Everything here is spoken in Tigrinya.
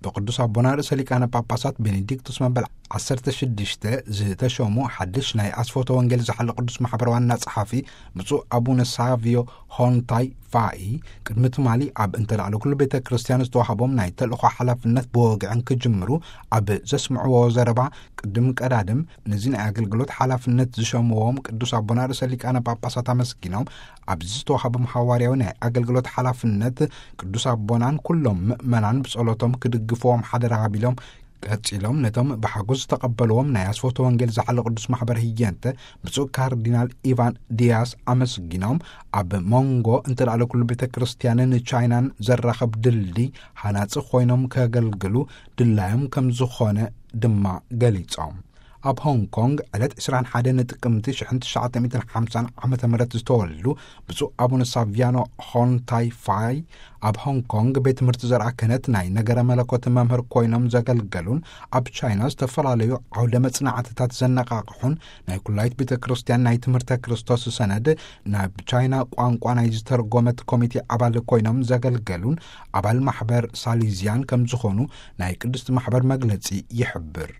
ብቅዱስ ኣቦና ርእሰ ሊቃነ ጳጳሳት ቤኔዲክቱስ መበል ዓሰርተ ሽዱሽተ ዝተሾሙ ሓድሽ ናይ ኣስፎተ ወንጌል ዝሓለ ቅዱስ ማሕበር ዋና ጸሓፊ ብፁዕ ኣቡነ ሳቪዮ ሆንታይ ፋኢ፣ ቅድሚ ትማሊ ኣብ እንተላዕለ ኩሉ ቤተ ክርስቲያን ዝተዋህቦም ናይ ተልእኾ ሓላፍነት ብወግዕን ክጅምሩ ኣብ ዘስምዕዎ ዘረባ፣ ቅድም ቀዳድም ነዚ ናይ ኣገልግሎት ሓላፍነት ዝሸምዎም ቅዱስ ኣቦና ርእሰ ሊቃነ ጳጳሳት ኣመስጊኖም፣ ኣብዚ ዝተዋህቦም ሃዋርያዊ ናይ ኣገልግሎት ሓላፍነት ቅዱስ ኣቦናን ኩሎም ምእመናን ብጸሎቶም ክድግፍዎም ሓደራ ሃቢሎም፣ ቀጺሎም ነቶም ብሓጎስ ዝተቐበልዎም ናይ ኣስፎተ ወንጌል ዝሓለ ቅዱስ ማሕበር ህየንተ ብፁዕ ካርዲናል ኢቫን ዲያስ ኣመስጊኖም፣ ኣብ መንጎ እንተላዕለ ኩሉ ቤተ ክርስቲያንን ቻይናን ዘራኸብ ድልድይ ሃናጺ ኮይኖም ከገልግሉ ድላዮም ከም ዝኾነ ድማ ገሊጾም። ኣብ ሆንግ ኮንግ ዕለት ዕስራን ሓደን ጥቅምቲ ሽሕን ትሽዓተ ሚእትን ሓምሳን ዓመተ ምህረት ዝተወልዱ ብፁዕ ኣቡነ ሳቪያኖ ሆንታይ ፋይ፣ ኣብ ሆንግ ኮንግ ቤት ትምህርቲ ዘርኣ ክህነት ናይ ነገረ መለኮት መምህር ኮይኖም ዘገልገሉን፣ ኣብ ቻይና ዝተፈላለዩ ዓውደ መጽናዕትታት ዘነቃቕሑን፣ ናይ ኩላይት ቤተ ክርስቲያን ናይ ትምህርተ ክርስቶስ ሰነድ ናብ ቻይና ቋንቋ ናይ ዝተርጎመት ኮሚቴ ኣባል ኮይኖም ዘገልገሉን፣ ኣባል ማሕበር ሳሊዝያን ከም ዝኾኑ ናይ ቅድስቲ ማሕበር መግለጺ ይሕብር።